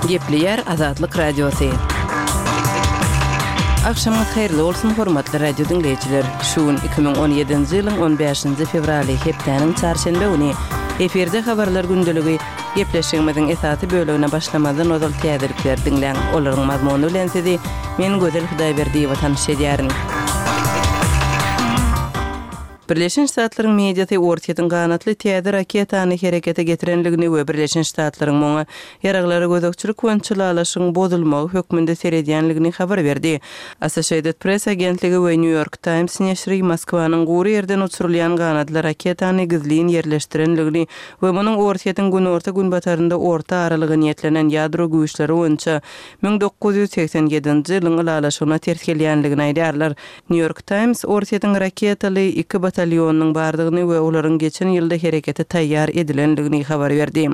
Gepleýär Azatlyk Radiosy. Agşamyňyz haýyrly bolsun, hormatly radio diňleýjiler! Şu gün 2017-nji ýylyň on bäşinji fewraly, hepdäniň çarşenbe güni. Efirde Habarlar gündeligi. Gepleşigimiziň esasy bölegine başlamazdan ozal täzelikleri diňläň. Olaryň mazmuny bilen sizi men Gözel Hudaýberdiýewa tanyş edýärin. Birleşen Ştatlaryň mediasy Orsýetiň ganatly täze raketany herekete getirenligini we Birleşen Ştatlaryň muňa ýaraglara gözegçilik boýunça ylalaşygyň bozulmagy hökmünde seredýänligini habar berdi. Associated Press agentligi we New York Times neşiri Moskwanyň gury ýerden uçurylýan ganatly raketany gizlin ýerleşdirenligini we munuň Orsýetiň günorta-günbatarynda orta aralyga niýetlenen ýadro güýçleri boýunça 1987-nji ýylyň ylalaşygyna ters gelýänligini aýdýarlar. Nýu-Ýork Taýms Orsýetiň raketaly iki batalýonynyň bardygyny we olaryň geçen ýylda herekete taýýar edilendigini habar berdi.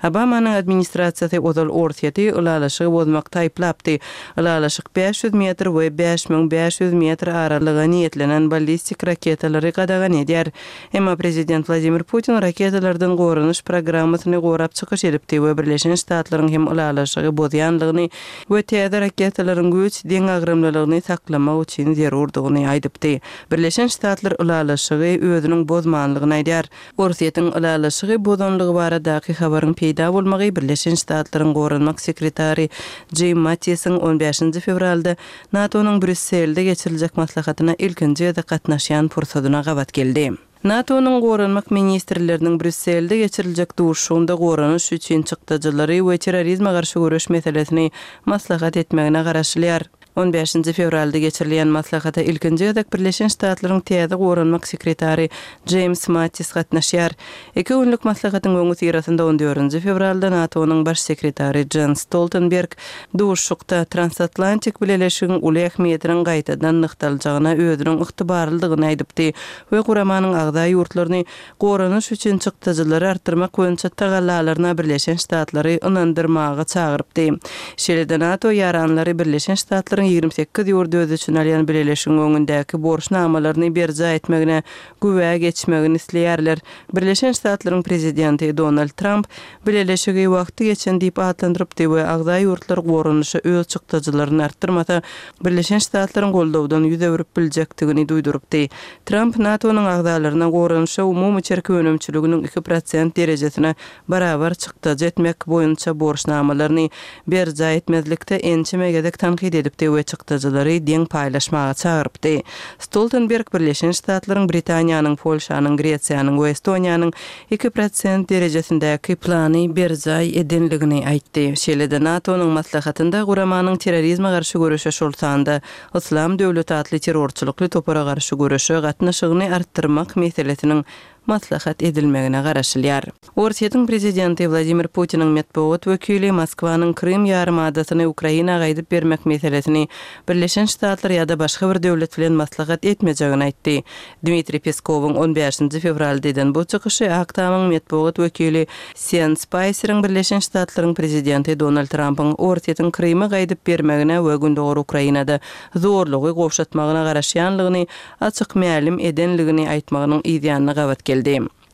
Obamanyň administrasiýasy ozal Orsýeti ylalaşygy bozmakda aýyplapdy. Ylalaşyk 500 metr we 5500 metr aralyga niýetlenen ballistik raketalary gadagan edýär. Emma prezident Wladimir Putin raketalardan goranyş programmasyny gorap çykyş edipdi we Birleşen Ştatlaryň hem ylalaşygy bozýanlygyny we täze raketalaryň güýç deňagramlylygyny saklamak üçin zerurdygyny aýdypdy. Birleşen Ştatlar ylalaşygy özüniň bozmanlygyny aýdýar. Orsýetiň ylalaşygy bozanlygy baradaky habaryň peýda bolmagy Birleşen Ştatlaryň goranmak sekretary Jim Mattisiň on bäşinji fewralda NATO-nyň Brýusselde geçiriljek maslahatyna ilkinji gezek gatnaşýan pursadyna gabat geldi. NATO-nyň goranmak ministrleriniň Brýusselde geçiriljek duşuşygynda goranyş üçin çykdajylary we terrorizme garşy göreş meselesini maslahat etmegine garaşylýar. On bäşinji fewralda geçirilýän maslahata ilkinji gezek Birleşen Ştatlaryň täze goranmak sekretary Jeýms Mattis gatnaşýar. Iki günlük maslahatyň öňüsyrasynda on dördünji fewralda NATO-nyň Baş sekretary Jens Stoltenberg duşuşykda transatlantik bileleşigiň uly ähmiýetiniň gaýtadan nygtaljagyna özüniň ygtybarlydygyny aýdypdy we guramanyň agza ýurtlaryny goranyş üçin çykdajylary artdyrmak boýunça tagallalaryna Birleşen Ştatlary ynandyrmaga çagyrypdy. Şeýle-de NATO ýaranlary Birleşen Ştatlaryň 28 ýurdy öz içine alýan bileleşigiň öňündäki borçnamalaryny berjaý etmegine güwä geçmegini isleýärler. Birleşen Ştatlaryň prezidenti Donald Tramp Bileleşigi wagty geçen diýip atlandyrypdy we agza ýurtlar goranyşa öz çykdajylaryny artdyrmasa, Birleşen Ştatlaryň goldawdan ýüz öwrüp biljekdigini duýdurypdy. Tramp NATO-nyň agzalaryna goranyşa umumy içerki önümçiliginiň 2% derejesine barabar çykdajy etmek boýunça borçnamalaryny berjaý etmezlikde ençeme gezek tankyt edipdi we çykdajylary deň paýlaşmaga çagyrypdy. Stoltenberg Birleşen Ştatlaryň, Britaniýanyň, Polşanyň, Gresiýanyň we Estoniýanyň 2% derejesindäki plany berjaý edenligini aýtdy. Şeýle-de NATO-nyň maslahatynda guramanyň terrorizme garşy göreşe şol sanda Yslam döwleti atly terrorçylykly topara garşy göreşe gatnaşygyny artdyrmak meselesiniň maslahat edilmegine garaşylýar. Orsýetiň prezidenti Wladimir Putiniň metbugat wekili Moskwanyň Krym ýarymadasyny Ukraina gaýdyp bermek meselesini Birleşen Ştatlar ýa-da başga bir döwlet bilen maslahat etmejegini aýtdy. Dmitriý Peskowyň on bäşinji fewralda eden bu çykyşy Ak Tamyň metbugat wekili Sen Spaýseriň Birleşen Ştatlaryň prezidenti Donald Trampyň Orsýetiň Krymy gaýdyp bermegine we gündogar Ukrainada zorlugy gowşatmagyna garaşýanlygyny açyk mälim edenligini aýtmagynyň yzýanyna gabat geldi.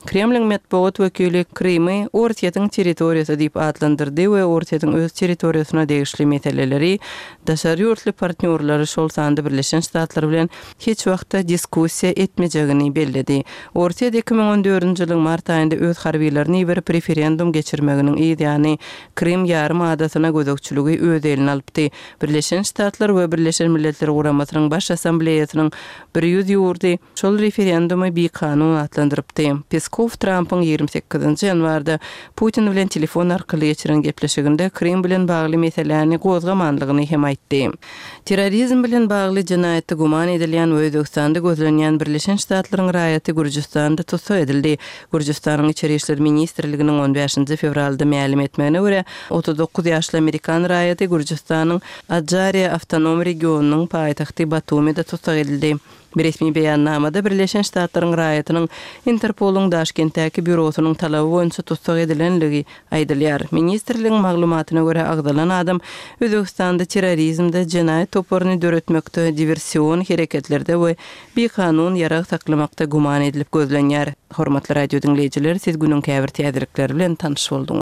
Kremliň metbugat wekili Krymy Orsýetiň territoriýasy diýip atlandyrdy we Orsýetiň öz territoriýasyna degişli meseleleri daşary ýurtly partnýorlary, şol sanda Birleşen Ştatlar bilen hiç wagtda diskussiýa etmejegini belledi. Orsýet 2014-nji ýylyň mart aýynda öz harbylaryny iberip referendum geçirmeginiň yz ýany Krym ýarym adasyna gözegçiligi öz eline alypdy. Birleşen Ştatlar we Birleşen Milletler Guramasynyň Baş Assambleýasynyň 100 ýurdy şol referendumy bikanun atlandyrypdy. Peskow Trampyň 28-nji ýanwarda Putin bilen telefon arkaly geçiren gepleşiginde Krym bilen bagly meseläni gozgamanlygyny hem aýtdy. Terrorizm bilen bagly jenaýatda güman edilýän we Özbegistanda gözlenýän Birleşen Ştatlaryň raýaty Gürjüstanda tussag edildi. Gürjüstanyň Içeri işler ministrliginiň on bäşinji fewralda mälim etmegine görä, 39 ýaşly amerikan raýaty Gürjüstanyň Ajariýa awtonom regionynyň paýtagty Batumide tussag edildi. Resmi beýannamada Birleşen Ştatlaryň raýatynyň Interpoluň Daşkentdäki býurosynyň talaby boýunça tussag edilenligi aýdylýar. Ministrligiň maglumatyna görä, agzalan adam Özbegistanda terrorizmde, jenaýat toparyny döretmekde, diwersion hereketlerde we bikanun ýarag saklamakda güman edilip gözlenýär. Hormatly radio diňleýjiler, siz günüň käbir täzelikleri bilen tanyş bolduňyz.